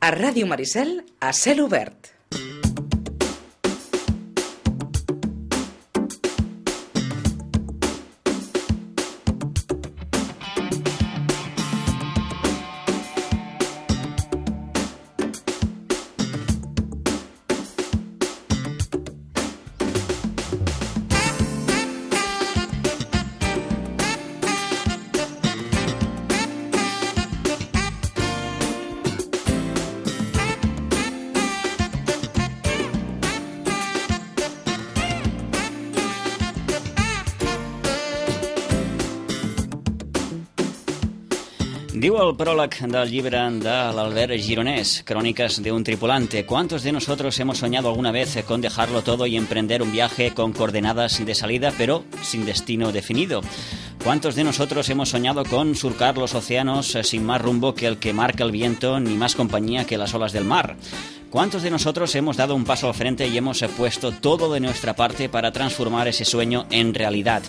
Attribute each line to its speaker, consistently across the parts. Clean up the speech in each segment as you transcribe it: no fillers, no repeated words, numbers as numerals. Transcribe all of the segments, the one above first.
Speaker 1: A Ràdio Maricel, a cel obert.
Speaker 2: Diu el pròleg del llibre de l'Albert Gironès, Crónicas de un tripulante. ¿Cuántos de nosotros hemos soñado alguna vez con dejarlo todo y emprender un viaje con coordenadas de salida, pero sin destino definido? ¿Cuántos de nosotros hemos soñado con surcar los océanos sin más rumbo que el que marca el viento, ni más compañía que las olas del mar? ¿Cuántos de nosotros hemos dado un paso al frente y hemos puesto todo de nuestra parte para transformar ese sueño en realidad?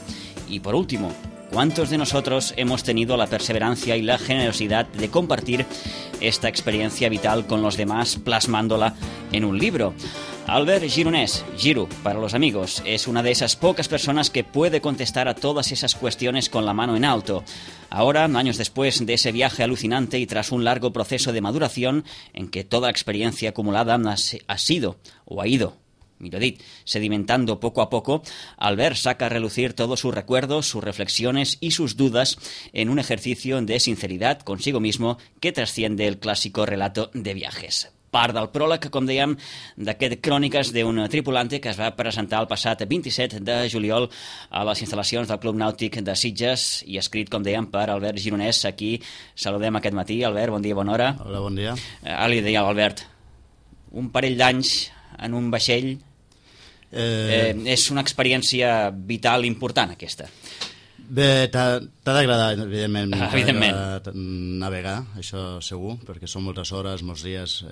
Speaker 2: Y por último, ¿cuántos de nosotros hemos tenido la perseverancia y la generosidad de compartir esta experiencia vital con los demás, plasmándola en un libro? Albert Gironès, Giro para los amigos, es una de esas pocas personas que puede contestar a todas esas cuestiones con la mano en alto. Ahora, años después de ese viaje alucinante y tras un largo proceso de maduración en que toda la experiencia acumulada ha ido sedimentando poco a poco, Albert saca a relucir todos sus recuerdos, sus reflexiones y sus dudas en un ejercicio de sinceridad consigo mismo que trasciende el clásico relato de viajes. Part del pròleg, com dèiem, d'aquest Cròniques d'un tripulante que es va presentar el passat 27 de juliol a les instal·lacions del Club Nàutic de Sitges i escrit, com dèiem, per Albert Gironès. Aquí saludem aquest matí. Albert, bon dia, bona hora.
Speaker 3: Hola, bon dia.
Speaker 2: Ara li deia a l'Albert, un parell d'anys en un vaixell és una experiència vital important, aquesta.
Speaker 3: Bé, t'ha d'agradar, evidentment, navegar, això segur, perquè són moltes hores, molts dies.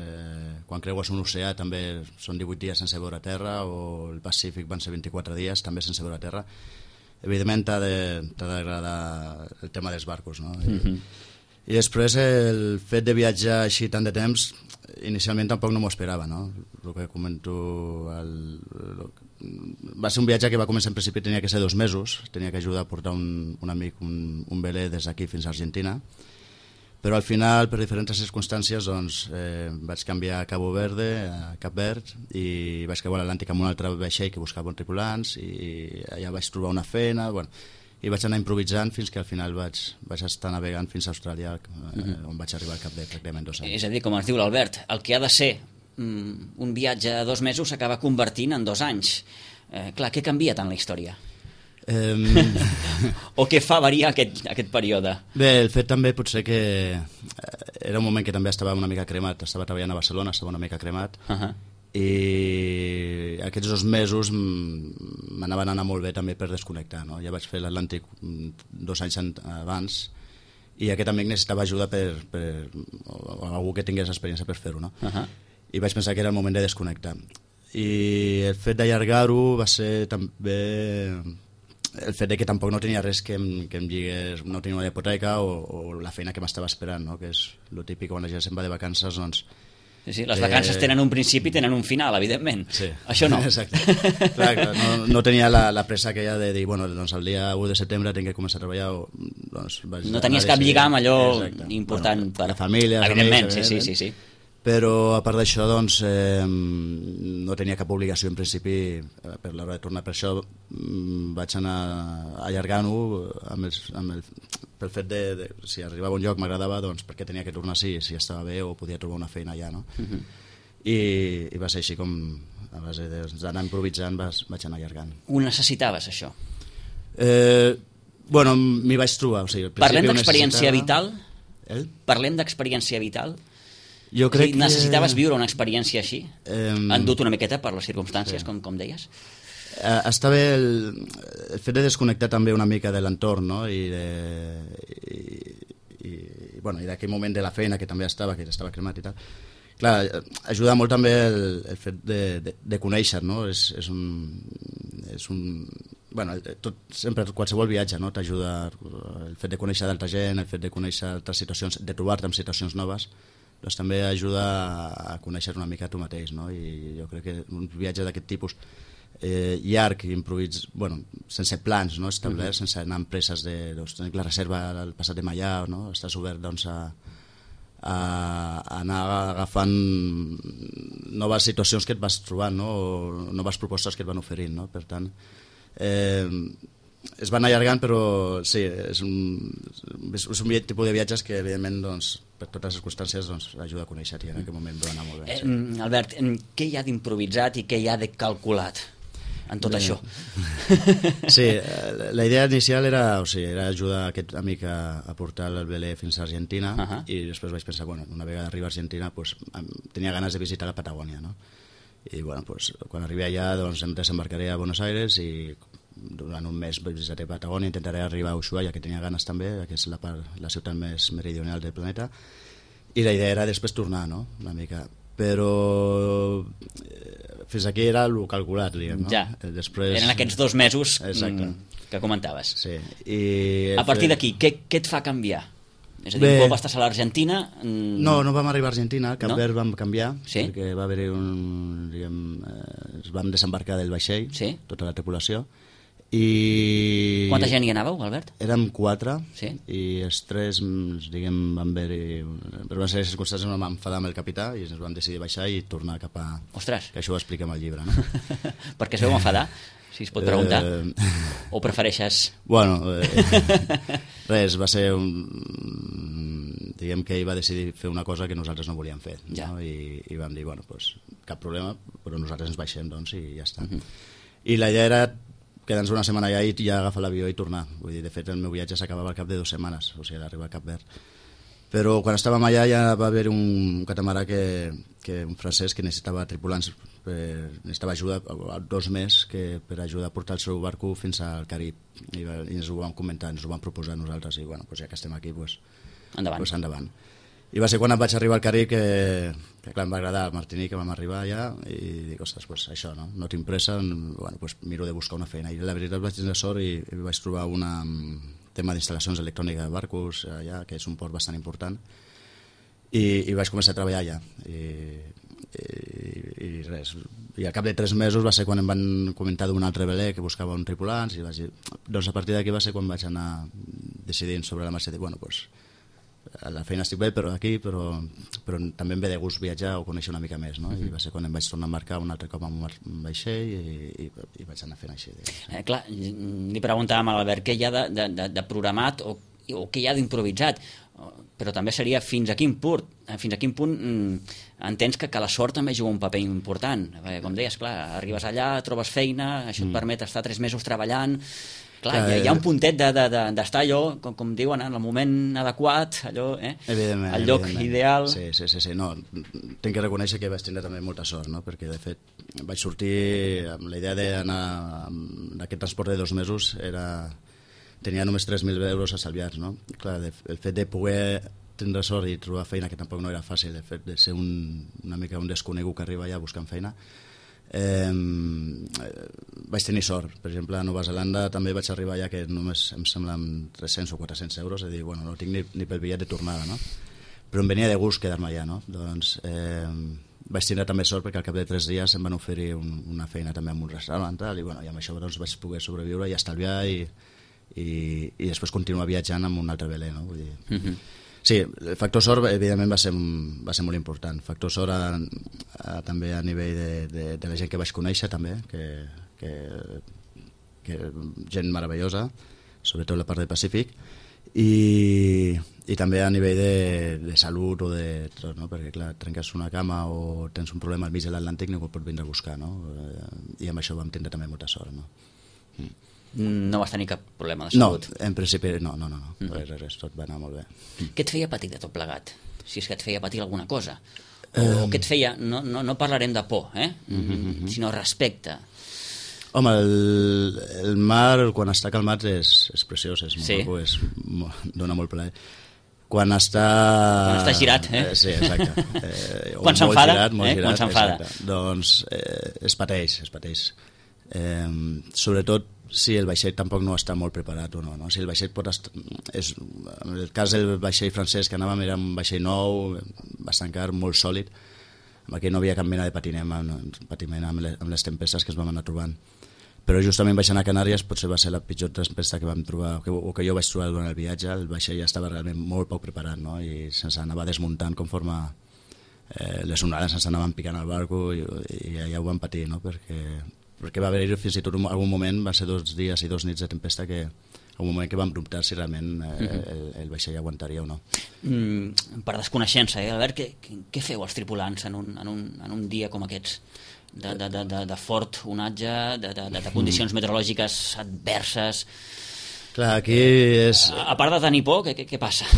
Speaker 3: Quan creues un oceà també són 18 dies sense veure terra, o el Pacífic van ser 24 dies també sense veure terra. Evidentment t'ha d'agradar el tema dels barcos, no? I després el fet de viatjar així tant de temps, inicialment tampoc no m'ho esperava, no? El que comento... Va ser un viatge que va començar en principi, tenia que ser 2 mesos, tenia que ajudar a portar un amic un velé des d'aquí fins a Argentina, però al final, per diferents circumstàncies, doncs, vaig canviar a Cabo Verde, a Cap Verd, i vaig creuar l'Atlàntic amb un altre vaixell que buscava tripulants, i allà vaig trobar una feina, bueno, i vaig anar improvisant fins que al final vaig estar navegant fins a Austràlia, on vaig arribar al cap de pràcticament 2 anys. És
Speaker 2: a dir, com ens diu l'Albert, el que ha de ser un viatge de 2 mesos s'acaba convertint en 2 anys. Clar, què canvia tant la història? O què fa variar aquest període?
Speaker 3: Bé, el fet també potser que era un moment que també estava una mica cremat, estava treballant a Barcelona, estava una mica cremat, i aquests 2 mesos m'anaven a anar molt bé també per desconnectar, no? Ja vaig fer l'Atlàntic 2 anys abans i aquest amic necessitava ajuda o algú que tingués experiència per fer-ho, no? I vaig pensar que era el moment de desconnectar, i el fet d'allargar-ho va ser també el fet de que tampoc no tenia res que em lligués, no tenia una hipoteca o la feina que m'estava esperant, no? Que és el típic quan la gent se'n va de vacances, doncs.
Speaker 2: Sí, les vacances tenen un principi i tenen un final, evidentment.
Speaker 3: Sí.
Speaker 2: Això no.
Speaker 3: Exacte. Clar, no tenia la pressa aquella de dir, bueno, doncs el dia 1 de setembre tinc que començar a treballar. Doncs
Speaker 2: no tenies cap lligam allò important per
Speaker 3: la família.
Speaker 2: Evidentment, sí.
Speaker 3: Però a part d'això, doncs, no tenia cap obligació en principi per l'hora de tornar. Per això vaig anar allargant-ho pel fet de si arribava a un lloc m'agradava, doncs perquè tenia que tornar si estava bé o podia trobar una feina allà, no? I va ser així com a base d'anar improvisant vaig anar allargant.
Speaker 2: Ho necessitaves, això?
Speaker 3: Bueno, m'hi vaig trobar.
Speaker 2: Parlem d'experiència vital? Parlem d'experiència vital?
Speaker 3: Jo crec que...
Speaker 2: Necessitaves viure una experiència així? Endut una miqueta per les circumstàncies, com deies?
Speaker 3: Està bé el fet de desconnectar també una mica de l'entorn, no? I d'aquell moment de la feina que també estava cremat i tal. Clar, ajuda molt també el fet de conèixer, no? És un bueno, sempre qualsevol viatge, no? T'ajuda el fet de conèixer d'altra gent, el fet de conèixer altres situacions, de trobar-te en situacions noves, doncs també ajuda a conèixer una mica tu mateix, no? I jo crec que un viatge d'aquest tipus llarg, bueno, sense plans, no? Establerts, sense anar amb presses de la reserva al passat de Mallà, no? Estàs obert doncs, a anar agafant noves situacions que et vas trobant, no? O noves propostes que et van oferint, no? Per tant, es van allargant, però sí, és un tipus de viatges que evidentment doncs, per totes les circumstàncies doncs, ajuda a conèixer-t'hi, en aquell moment va anar molt bé. Sí.
Speaker 2: Albert, què hi ha d'improvisat i què hi ha de calculat en tot això?
Speaker 3: Sí, la idea inicial era ajudar aquest amic a portar el velé fins a Argentina, i després vaig pensar, bueno, una vegada arriba a Argentina pues, tenia ganes de visitar la Patagònia, no? I bueno, pues, quan arribi allà doncs, em desembarcaré a Buenos Aires i durant un mes visitaré Patagònia, intentaré arribar a Ushuaia, que tenia ganes també, que és la ciutat més meridional del planeta, i la idea era després tornar, no? Una mica, però fins aquí era el calculat, diguem, no?
Speaker 2: Ja,
Speaker 3: després,
Speaker 2: eren aquests 2 mesos que comentaves.
Speaker 3: Sí.
Speaker 2: A partir d'aquí, què et fa canviar? És a dir, un cop estàs a l'Argentina...
Speaker 3: No vam arribar a Argentina, Cap Verd vam canviar, perquè va haver-hi es vam desembarcar del vaixell, tota la tripulació, i...
Speaker 2: Quanta gent hi anàveu, Albert?
Speaker 3: Érem 4, i els 3, diguem, van haver-hi... Per una sèrie de circumstàncies vam enfadar amb el capità i ens vam decidir baixar i tornar cap a...
Speaker 2: Ostres!
Speaker 3: Que això ho expliquem al llibre, no?
Speaker 2: Per què es veu enfadar? Si es pot preguntar. O prefereixes...
Speaker 3: Bueno, res, va ser diguem que ell va decidir fer una cosa que nosaltres no volíem fer, no? I vam dir, bueno, pues, cap problema, però nosaltres ens baixem, doncs, i ja està. I la idea era quedar-nos una setmana allà i ja agafar l'avió i tornar. Vull dir, de fet, el meu viatge s'acabava al cap de 2 setmanes, o sigui, arribar a Cap Verd. Però quan estàvem allà ja va haver un catamarà un francès que necessitava tripulants, necessitava ajuda, 2 mesos per ajudar a portar el seu barco fins al Carib, i ens ho vam comentar, ens ho vam proposar nosaltres, i bueno, pues ja que estem aquí, pues endavant. I va ser quan vaig arribar al Carib que clar, em va agradar el Martinique, que vam arribar allà, i dic, ostres, pues això, no tinc pressa, bueno, pues miro de buscar una feina, i la veritat vaig tenir sort i vaig trobar un tema d'instal·lacions elèctroniques de barcos allà, que és un port bastant important, i vaig començar a treballar allà, i res, i al cap de 3 mesos va ser quan em van comentar d'un altre velé que buscava un tripulants, i vaig dir, doncs a partir d'aquí va ser quan vaig anar decidint sobre la marxa de, bueno, doncs la feina estic bé, però també em ve de gust viatjar o conèixer una mica més, no? I va ser quan em vaig tornar a embarcar un altre cop amb un vaixell i vaig anar fent així.
Speaker 2: Clar, li preguntàvem a l'Albert què hi ha de programat o què hi ha d'improvisat, però també seria fins a quin punt entens que la sort també juga un paper important. Com deies, clar, arribes allà, trobes feina, això et permet estar 3 mesos treballant. Clar, hi ha un puntet d'estar allò, com diuen, en el moment adequat, allò, el lloc ideal.
Speaker 3: Sí, no, tinc que reconèixer que vaig tenir també molta sort, no? Perquè de fet vaig sortir amb la idea d'anar amb aquest transport de 2 mesos, tenia només 3.000 euros estalviats, no? Clar, el fet de poder tindre sort i trobar feina, que tampoc no era fàcil, el fet de ser una mica un desconegut que arriba allà buscant feina, vaig tenir sort. Per exemple, a Nova Zelanda també vaig arribar allà que només em sembla amb 300 o 400 euros, és a dir, bueno, no tinc ni pel bitllet de tornada, no? Però em venia de gust quedar-me allà, no? Doncs vaig tenir també sort perquè al cap de 3 dies em van oferir una feina també en un restaurant i amb això doncs, vaig poder sobreviure i estalviar i després continuar viatjant amb un altre velé, no? Vull dir... Sí, el factor sort evidentment va ser molt important. Factor sort també a nivell de la gent que vaig conèixer també, que gent meravellosa, sobretot la part del Pacífic, i també a nivell de salut o de tot, no? Perquè clar, trenques una cama o tens un problema al mig de l'Atlàntic, ningú pot vindre a buscar, no? I amb això vam tindre també molta sort, no?
Speaker 2: No vas tenir cap problema de salut?
Speaker 3: No, en principi no. Res, tot va anar molt bé.
Speaker 2: Què et feia patir de tot plegat? Si és que et feia patir alguna cosa. O què et feia... No parlarem de por, sinó respecte.
Speaker 3: Home, el mar, quan està calmat, és preciós, és molt maco, dona molt plaer. Quan està
Speaker 2: girat,
Speaker 3: Sí, exacte.
Speaker 2: Quan s'enfada, doncs
Speaker 3: es pateix. Sobretot si el vaixell tampoc no està molt preparat o no, no? Si el vaixell pot estar... En el cas del vaixell francès que anàvem era un vaixell nou, bastant car, molt sòlid, amb aquell no havia cap mena de patiment amb les tempestes que es vam anar trobant. Però justament baixant a Canàries potser va ser la pitjor tempesta que vam trobar, o que jo vaig trobar durant el viatge. El vaixell ja estava realment molt poc preparat, no? I se'ns anava desmuntant conforme les onades ens anaven picant al barco i ja ho vam patir, no? Perquè va haver-hi fins i tot algun moment, va ser 2 dies i 2 nits de tempesta, que un moment que vam dubtar si realment el vaixell aguantaria o no.
Speaker 2: Per desconeixença, Albert, què feu els tripulants en un dia com aquests? De fort onatge, de condicions meteorològiques adverses.
Speaker 3: Clar, aquí és...
Speaker 2: A part de tenir por, què passa?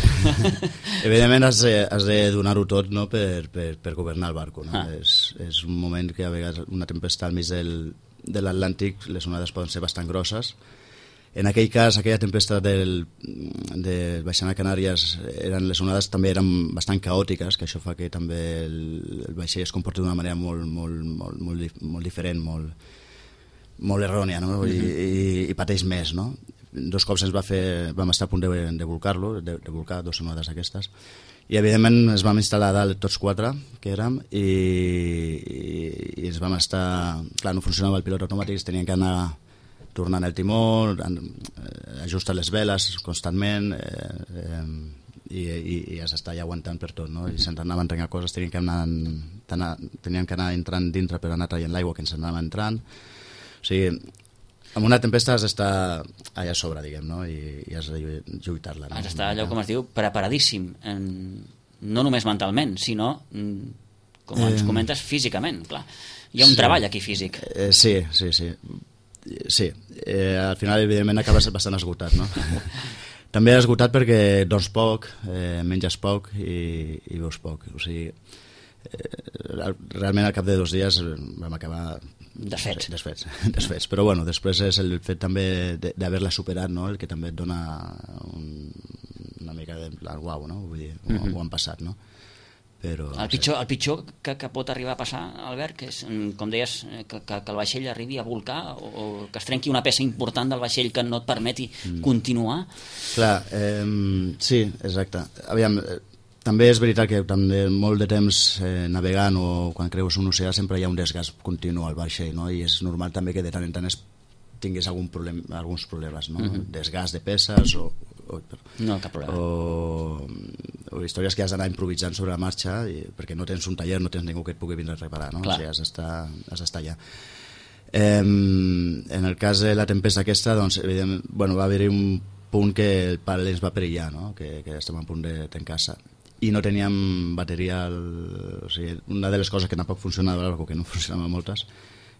Speaker 3: Evidentment has de donar-ho tot, no? per governar el barco, no? És un moment que a vegades una tempesta al mig de l'Atlàntic, les onades poden ser bastant grosses. En aquell cas, aquella tempesta de baixant a Canàries, les onades també eren bastant caòtiques, que això fa que també el vaixell es comporti d'una manera molt diferent, molt errònia, no? I pateix més, no? 2 cops vam estar a punt de volcar-lo, de volcar 2 onades aquestes, i evidentment ens vam instal·lar a dalt tots 4 que érem i ens vam estar... Clar, no funcionava el pilot automàtic, teníem que anar tornant el timó, ajustar les veles constantment i has d'estar ja aguantant per tot, no? I se'ns anaven trencant coses, teníem que anar entrant dintre per anar traient l'aigua que ens anava entrant. O sigui, amb una tempesta has d'estar allà a sobre, diguem, no? I has de lluitar-la. No?
Speaker 2: Has d'estar allò, com es diu, preparadíssim, no només mentalment, sinó, com ens comentes, físicament, clar. Hi ha un treball aquí físic.
Speaker 3: Sí. Al final evidentment acabes bastant esgotat, no? També esgotat perquè dorms poc, menges poc i veus poc, o sigui realment al cap de 2 dies vam acabar desfets, però bueno, després és el fet també d'haver-la superat, no? El que també et dona una mica de uau, no? Vull dir, ho han passat, no? Però,
Speaker 2: el pitjor que pot arribar a passar, Albert, que és, com deies, que el vaixell arribi a volcar o que es trenqui una peça important del vaixell que no et permeti continuar.
Speaker 3: Clar, sí, exacte. Aviam, també és veritat que també molt de temps navegant o quan creues un oceà sempre hi ha un desgast continu al vaixell, no? I és normal també que de tant en tant tingués alguns problemes, no? Desgast de peces
Speaker 2: no, cap problema.
Speaker 3: O històries que has d'anar improvisant sobre la marxa perquè no tens un taller, no tens ningú que et pugui vindre a reparar, no? O sigui, has d'estar allà. En el cas de la tempesta aquesta, doncs, evidentment, va haver-hi un punt que el pal ens va perillar, no? Que estem a punt de tancar-se i no teníem bateria, o sigui, una de les coses que tampoc funcionava, que no funcionaven moltes,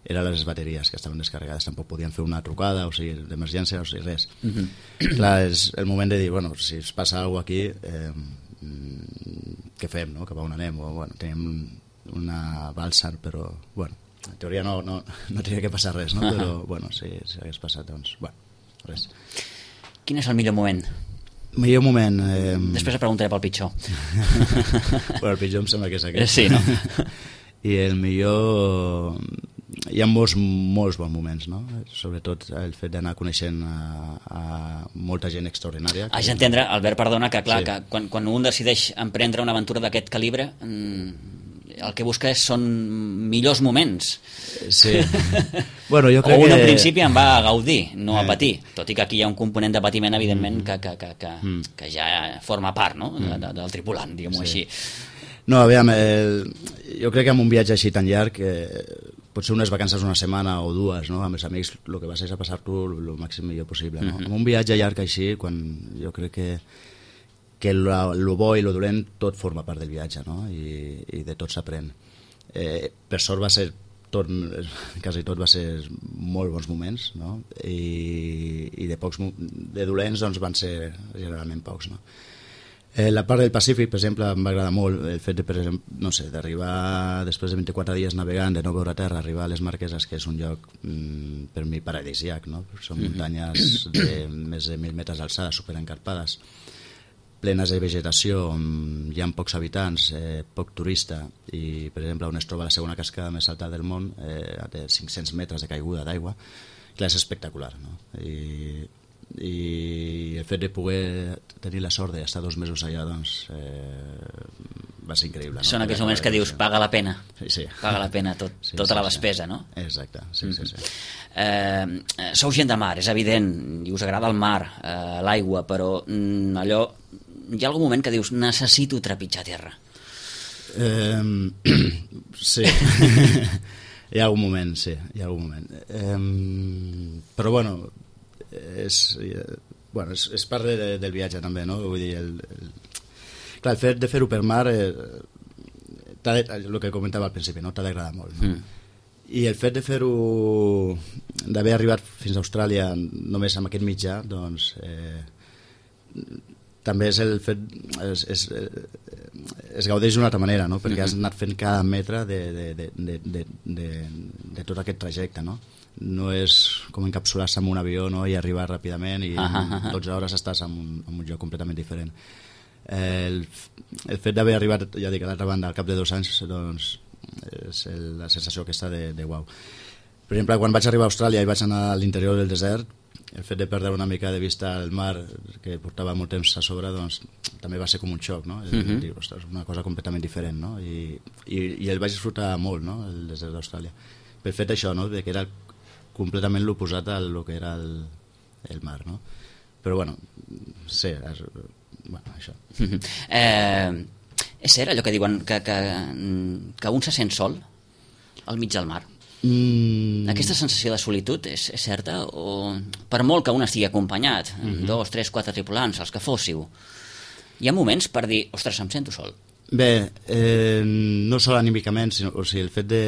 Speaker 3: eren les bateries que estaven descarregades, tampoc podien fer una trucada, o sigui, d'emergència, o sigui, res. Clar, és el moment de dir, bueno, si es passa alguna cosa aquí, què fem, no? Cap a on anem? Tenim una balsa, però, en teoria no tenia que passar res, no? Però, si hagués passat, doncs, res.
Speaker 2: Quin és el millor moment?
Speaker 3: Millor moment...
Speaker 2: Després et preguntaré pel pitjor.
Speaker 3: El pitjor em sembla que és aquest.
Speaker 2: Sí, no?
Speaker 3: I el millor... Hi ha molts bons moments, no? Sobretot el fet d'anar coneixent a molta gent extraordinària.
Speaker 2: Haig d'entendre, Albert, perdona, que clar, que quan un decideix emprendre una aventura d'aquest calibre, el que busca són millors moments.
Speaker 3: Sí. Jo crec
Speaker 2: en principi en va a gaudir, no a patir, tot i que aquí hi ha un component de patiment, evidentment, que ja forma part, no? Del tripulant, diguem-ho així.
Speaker 3: No, aviam, jo crec que amb un viatge així tan llarg, potser unes vacances una setmana o 2, no? Amb els amics, el que vas és a passar-t'ho el màxim millor possible, no? Amb un viatge llarg així, quan jo crec que lo bo i lo dolent tot forma part del viatge, no? I de tot s'aprèn. Per sort va ser quasi tot va ser molt bons moments, no? I de dolents doncs van ser generalment pocs, no? La part del Pacífic, per exemple, em va agradar molt el fet de, per exemple, no sé, d'arribar després de 24 dies navegant, de no veure terra, arribar a les Marqueses, que és un lloc per mi paradisíac, no? Són muntanyes de més de 1.000 metres d'alçada, superencarpades, plenes de vegetació, on hi ha pocs habitants, poc turista, i, per exemple, on es troba la segona cascada més alta del món, té 500 metres de caiguda d'aigua. clar, és espectacular, no? I el fet de poder tenir la sort d'estar 2 mesos allà, doncs va ser increïble, no?
Speaker 2: Són aquells moments que dius, paga la pena,
Speaker 3: sí.
Speaker 2: Paga la pena tota la despesa, no?
Speaker 3: Exacte, sí.
Speaker 2: Sou gent de mar, és evident, i us agrada el mar, l'aigua, però allò, hi ha algun moment que dius, necessito trepitjar terra.
Speaker 3: Sí. Hi ha algun moment, sí, però bueno, és part del viatge també, no? Vull dir, clar, el fet de fer-ho per mar, el que comentava al principi, no? T'ha d'agradar molt, no? I el fet de fer-ho, d'haver arribat fins a Austràlia només amb aquest mitjà, doncs també és el fet, es gaudeix d'una altra manera, no? Perquè has anat fent cada metre de tot aquest trajecte, no? No és com encapsular-se en un avió, no? I arribar ràpidament i en 12 hores estàs en un lloc completament diferent. El fet d'haver arribat, ja dic, a l'altra banda al cap de 2 anys, doncs és la sensació aquesta de uau. Per exemple, quan vaig arribar a Austràlia i vaig anar a l'interior del desert, el fet de perdre una mica de vista el mar, que portava molt temps a sobre, doncs també va ser com un xoc, no? Dir, ostres, una cosa completament diferent, no? I el vaig disfrutar molt, no? El desert d'Austràlia. Per fet això, no? De que era completament l'oposat a lo que era el mar, no? Però bueno, sí, això.
Speaker 2: És cert allò que diuen que un se sent sol al mig del mar? Aquesta sensació de solitud és certa? O per molt que un estigui acompanyat, 2, 3, 4 tripulants, els que fóssiu, hi ha moments per dir, ostres, em sento sol?
Speaker 3: Bé, no sol anímicament, sinó, o sigui, el fet de,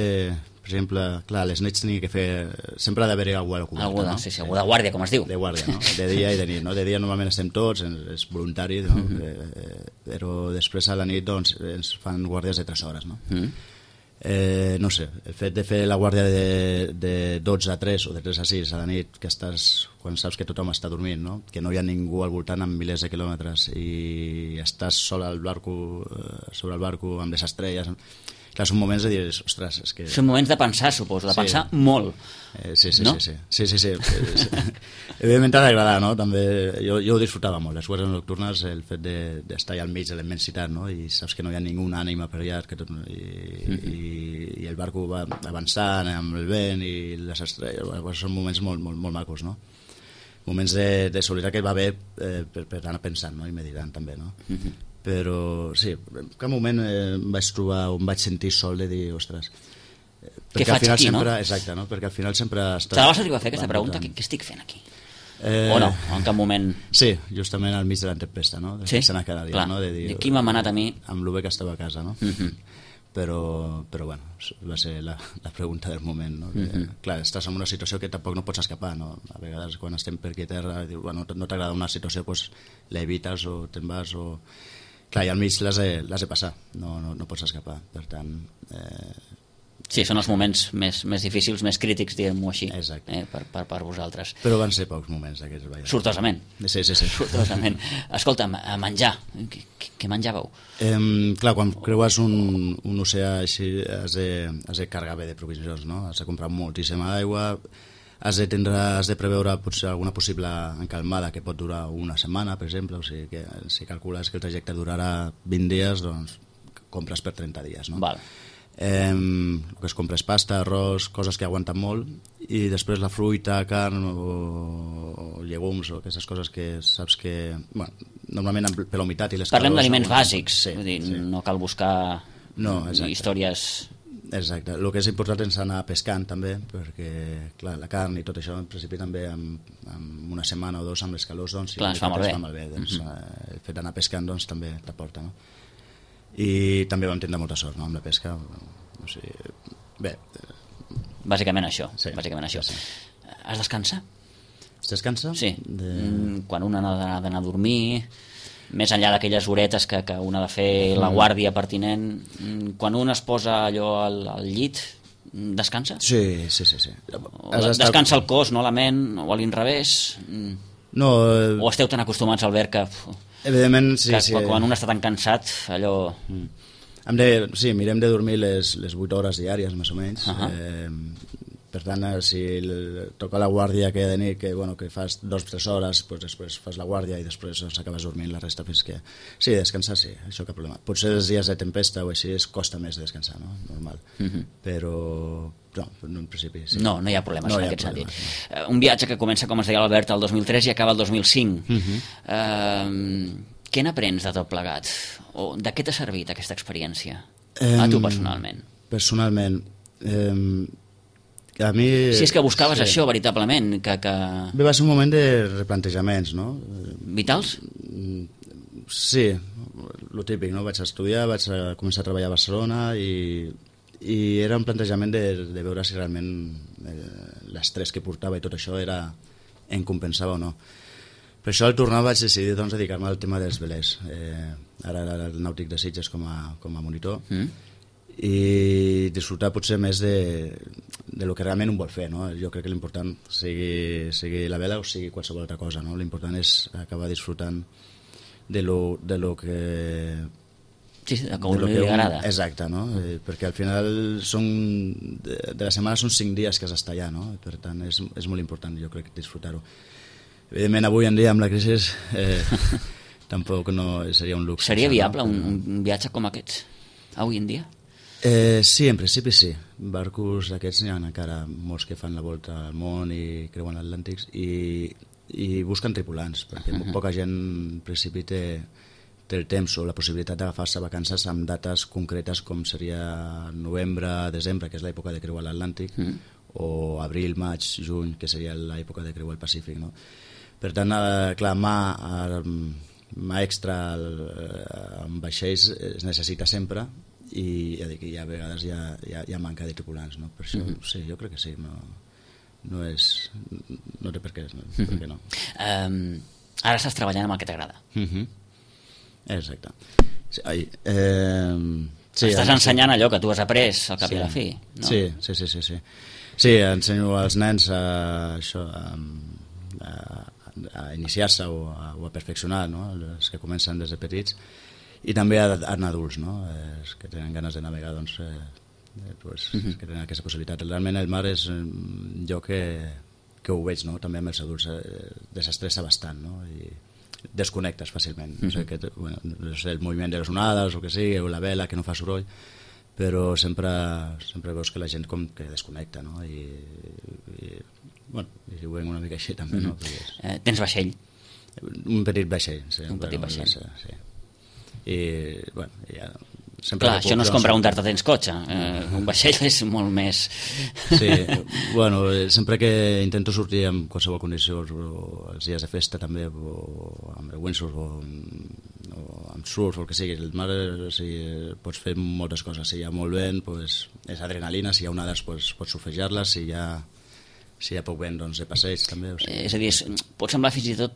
Speaker 3: per exemple, clar, les nits tenia que fer, sempre ha d'haver-hi algú a la coberta,
Speaker 2: no? Sí, algú de guàrdia, com es diu.
Speaker 3: De guàrdia, no? De dia i de nit, no? De dia normalment estem tots, és voluntari, no? Però després a la nit, doncs, ens fan guàrdies de 3 hores, no? No sé, el fet de fer la guàrdia de 12 a 3 o de 3 a 6 a la nit, que estàs, quan saps que tothom està dormint, no? Que no hi ha ningú al voltant amb milers de quilòmetres i estàs sol al barco, sobre el barco amb les estrelles, clar, són moments de dir, ostres, és que...
Speaker 2: Són moments de pensar, suposo, de pensar molt.
Speaker 3: Sí.
Speaker 2: No?
Speaker 3: Sí. Evidentment t'ha d'agradar, no? També, jo ho disfrutava molt, les guàrdies nocturnes, el fet d'estar allà al mig de la immensitat, no? I saps que no hi ha ningú ànima per allà, i el barco va avançant amb el vent i les estrelles, són moments molt macos, no? Moments de solidaritat que va bé per anar pensant, no? I meditant també, no? Però sí, en cap moment em vaig trobar o em vaig sentir sol de dir, ostres,
Speaker 2: què faig aquí,
Speaker 3: sempre,
Speaker 2: no?
Speaker 3: Exacte, no? Perquè al final sempre
Speaker 2: te la vas arribar a fer aquesta pregunta, què estic fent aquí? O no, en cap moment?
Speaker 3: Sí, justament al mig de la tempesta, no?
Speaker 2: Sí,
Speaker 3: cada dia,
Speaker 2: clar,
Speaker 3: no? De dir,
Speaker 2: aquí m'ha manat a mi
Speaker 3: amb lo bé que estava a casa, no? Però bueno, va ser la pregunta del moment, no? Clar, estàs en una situació que tampoc no pots escapar, no? A vegades quan estem per aquí a terra no t'agrada una situació, doncs l'evites o te'n vas o... Clar, i al mig l'has de passar, no pots escapar, per tant...
Speaker 2: Sí, són els moments més difícils, més crítics, diguem-ho així, per vosaltres.
Speaker 3: Però van ser pocs moments aquests.
Speaker 2: Sortosament.
Speaker 3: Sí.
Speaker 2: Sortosament. Escolta'm, a menjar, què menjàveu?
Speaker 3: Clar, quan creues un oceà així has de carregar bé de provisions, no? Has de comprar moltíssima aigua, has de preveure potser alguna possible encalmada que pot durar una setmana, per exemple, o sigui que si calcules que el trajecte durarà 20 dies, doncs compres per 30 dies, no?
Speaker 2: Val.
Speaker 3: El que es compres pasta, arròs, coses que aguanten molt, i després la fruita, carn o llegums o aquestes coses que saps que... Bueno, normalment per la humitat i les calors...
Speaker 2: Parlem d'aliments bàsics,
Speaker 3: sí,
Speaker 2: vull dir, no cal buscar històries...
Speaker 3: Exacte, el que és important és anar pescant també, perquè clar, la carn i tot això en principi també amb una setmana o 2 amb les calors, doncs,
Speaker 2: clar, es fa molt bé.
Speaker 3: Doncs, el fet d'anar pescant doncs, també t'aporta, no? I també vam tindre molta sort, no?, amb la pesca, o sigui, bé...
Speaker 2: Bàsicament això,
Speaker 3: Sí.
Speaker 2: Es descansa?
Speaker 3: Es descansa?
Speaker 2: Sí, quan un ha d'anar a dormir, més enllà d'aquelles horetes que un ha de fer la guàrdia pertinent, quan un es posa allò al llit, descansa?
Speaker 3: Sí.
Speaker 2: Descansa el cos, no la ment, o a l'inrevés?
Speaker 3: No,
Speaker 2: o esteu tan acostumats al ver que...
Speaker 3: Evidentment, sí.
Speaker 2: Quan un està tan cansat, allò...
Speaker 3: Mirem de dormir les 8 hores diàries, més o menys. Per tant, si toca la guàrdia que de nit, que fas 2 o 3 hores, doncs després fas la guàrdia i després acabes dormint la resta fins que... Sí, descansar sí, això cap problema. Potser els dies de tempesta o així costa més descansar, no? Normal. Però no, en principi sí.
Speaker 2: No hi ha problemes en aquest sentit. No. Un viatge que comença, com es deia l'Albert, el 2003 i acaba el 2005. Què n'aprens de tot plegat? O de què t'ha servit aquesta experiència? A tu personalment.
Speaker 3: Personalment... a mi...
Speaker 2: Si és que buscaves això, veritablement, que...
Speaker 3: Bé, va ser un moment de replantejaments, no?
Speaker 2: Vitals?
Speaker 3: Sí, lo típic, no? Vaig estudiar, vaig començar a treballar a Barcelona i era un plantejament de veure si realment l'estrès que portava i tot això em compensava o no. Per això al tornar vaig decidir doncs, dedicar-me al tema dels velers. Ara era el Nàutic de Sitges com a monitor i disfrutar potser més de lo que realment un vol fer, no? Jo crec que l'important sigui la vela o sigui qualsevol altra cosa, no? L'important és acabar disfrutant de lo que...
Speaker 2: Sí, de com li agrada.
Speaker 3: Exacte, no? Perquè al final de la setmana són 5 dies que has d'estar allà, no? Per tant és molt important, jo crec, disfrutar-ho. Evidentment avui en dia amb la crisi tampoc no seria un luxe.
Speaker 2: Seria viable un viatge com aquest avui en dia?
Speaker 3: Sí, en principi sí. Barcos d'aquests n'hi ha encara molts que fan la volta al món i creuen l'Atlàntic i busquen tripulants, perquè poca gent en principi té el temps o la possibilitat d'agafar-se vacances amb dates concretes com seria novembre, desembre, que és l'època de creuar l'Atlàntic, o abril, maig, juny, que seria l'època de creuar el Pacífic, no? Per tant, clar, mà extra amb vaixells es necessita sempre i ja dic, a vegades hi ha manca de tripulants, no? Per això sí, jo crec que sí, no té per què no.
Speaker 2: Ara estàs treballant amb el que t'agrada.
Speaker 3: Exacte.
Speaker 2: Estàs ensenyant allò que tu has après al cap i a la fi, no?
Speaker 3: Sí. Sí, ensenyo als nens a iniciar-se o a perfeccionar, no? Els que comencen des de petits, i també a adults, no? Els que tenen ganes de navegar, doncs, que tenen aquesta possibilitat. Realment el mar és un lloc que ho veig, no? També amb els adults desestressa bastant, no? I desconnectes fàcilment. No sé, el moviment de les onades o que sigui, o la vela que no fa soroll, però sempre veus que la gent com que desconnecta, no? I ho veiem una mica així també, no?
Speaker 2: Tens vaixell?
Speaker 3: Un petit vaixell, sí.
Speaker 2: Un petit vaixell.
Speaker 3: Sí. I, ja...
Speaker 2: Clar, això no és com preguntar-te tens cotxe, un vaixell és molt més...
Speaker 3: Sí, sempre que intento sortir en qualsevol condició, o els dies de festa també, o amb el windsurf, o amb surf, o el que sigui, el mar pots fer moltes coses. Si hi ha molt vent, és adrenalina, si hi ha onades pots surfejar-les, si hi ha poc vent, doncs de passeig també.
Speaker 2: És a dir, pot semblar fins i tot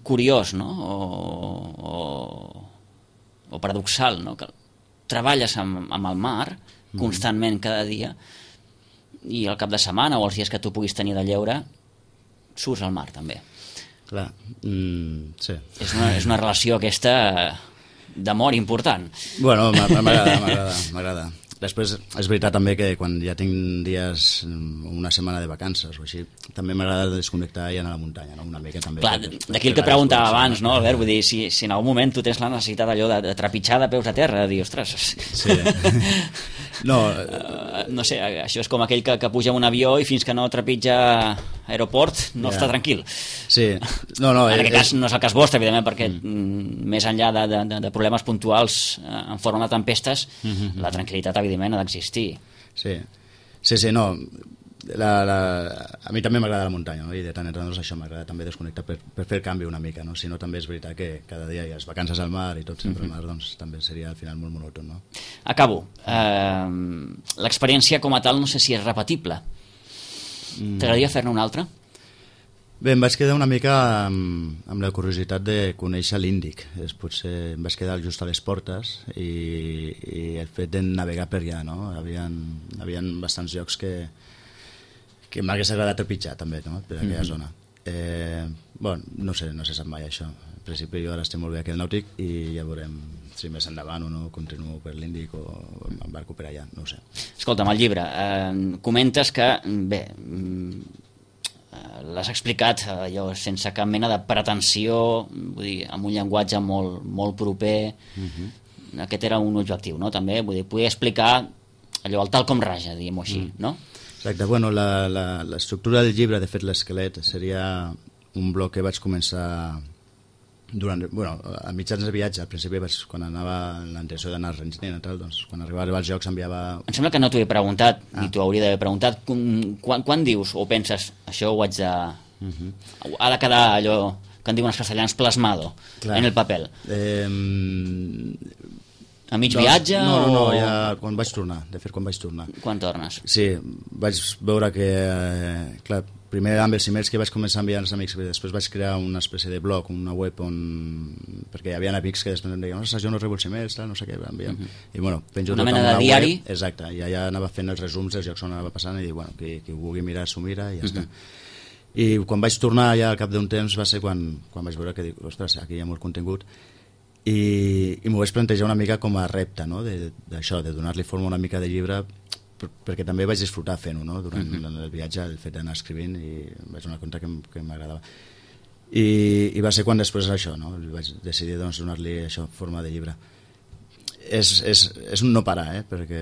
Speaker 2: curiós, no? O paradoxal, no? Que treballes amb el mar constantment cada dia i al cap de setmana o els dies que tu puguis tenir de lleure surts al mar també.
Speaker 3: Clar, sí.
Speaker 2: És una relació aquesta d'amor important.
Speaker 3: Bueno, m'agrada. Després és veritat també que quan ja tinc dies, una setmana de vacances o així, també m'agrada desconnectar i anar a la muntanya, no? Una mica també.
Speaker 2: Clar, d'aquí el que preguntava abans, no, Albert? Vull dir, si en algun moment tu tens la necessitat allò de trepitjar de peus a terra, de dir, ostres...
Speaker 3: Sí.
Speaker 2: No sé, això és com aquell que puja en un avió i fins que no trepitja aeroport no està tranquil.
Speaker 3: Sí. No,
Speaker 2: en aquest cas no és el cas vostre, evidentment, perquè més enllà de problemes puntuals en forma de tempestes, la tranquil·litat evidentment ha d'existir.
Speaker 3: Sí, no. A mi també m'agrada la muntanya, no? I de tant en tant això m'agrada també desconnectar per fer el canvi una mica, no? Si no, també és veritat que cada dia hi ha les vacances al mar i tot sempre al mar, doncs també seria al final molt monòton, no?
Speaker 2: Acabo. L'experiència com a tal no sé si és repetible. T'agradaria fer-ne una altra?
Speaker 3: Bé, em vaig quedar una mica amb la curiositat de conèixer l'Índic. Potser em vaig quedar just a les portes i el fet de navegar per allà, no? Havien bastants llocs que m'hagués agradat trepitjar també, no? Per aquella zona. Bueno, no sé sap mai això. En principi jo ara estic molt bé aquí al Nàutic i ja veurem si més endavant o no continuo per l'Índic o embarco per allà, no ho sé.
Speaker 2: Escolta'm, el llibre, comentes que, bé, l'has explicat allò sense cap mena de pretensió, vull dir, amb un llenguatge molt, molt proper. Aquest era un objectiu, no? També, vull dir, poder explicar allò, el tal com raja, diguem-ho així, no?
Speaker 3: Exacte, bueno, l'estructura del llibre, de fet l'esquelet, seria un bloc que vaig començar a mitjans de viatge. Al principi, quan anava la intenció d'anar a Argentina, doncs, quan arribava als jocs enviava...
Speaker 2: Em sembla que no t'ho he preguntat, ni t'ho hauria d'haver preguntat. Quan dius o penses, això ho haig de... Ha de quedar allò que en diuen els castellans plasmado en el paper? A mig viatge?
Speaker 3: No, ja quan vaig tornar. De fet, quan vaig tornar.
Speaker 2: Quan tornes?
Speaker 3: Sí, vaig veure que, clar, primer amb els emails que vaig començar a enviar als amics, després vaig crear una espècie de blog, una web perquè hi havia amics que després em deien, jo no rebo els emails, no sé què, enviem. I bueno, penjo
Speaker 2: una mena de diari?
Speaker 3: Exacte, i allà anava fent els resums dels jocs on anava passant i dic, bueno, qui ho vulgui mirar s'ho mira i ja està. I quan vaig tornar ja al cap d'un temps va ser quan vaig veure que dic, ostres, aquí hi ha molt contingut i m'ho vaig plantejar una mica com a repte, no? D'això, de donar-li forma una mica de llibre, perquè també vaig disfrutar fent-ho, no? Durant el viatge, el fet d'anar escrivint, i vaig donar compte que m'agradava. I va ser quan després això, no? Vaig decidir donar-li això, forma de llibre. És un no parar, perquè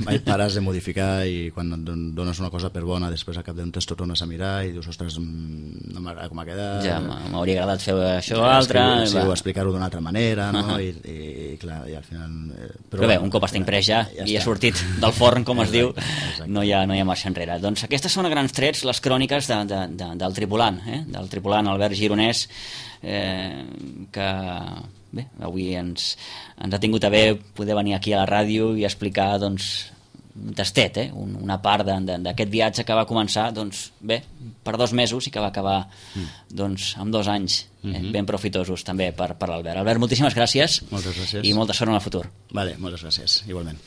Speaker 3: mai pares de modificar i quan dones una cosa per bona després al cap d'un temps t'ho tornes a mirar i dius, ostres, no m'agrada com ha quedat,
Speaker 2: ja m'hauria agradat fer això o altre,
Speaker 3: o explicar-ho d'una altra manera, no? I clar, i al final...
Speaker 2: Però bé, un cop està imprès ja i ha sortit del forn, com es diu, no hi ha marxa enrere. Doncs aquestes són a grans trets les cròniques del tripulant Albert Gironès, que bé, avui ens ha tingut a bé poder venir aquí a la ràdio i explicar, doncs, un tastet, una part d'aquest viatge que va començar, doncs, bé, per 2 mesos i que va acabar, doncs, amb 2 anys ben profitosos també per l'Albert. Albert, moltíssimes gràcies.
Speaker 3: Moltes gràcies.
Speaker 2: I molta sort en el futur.
Speaker 3: Vale, moltes gràcies, igualment.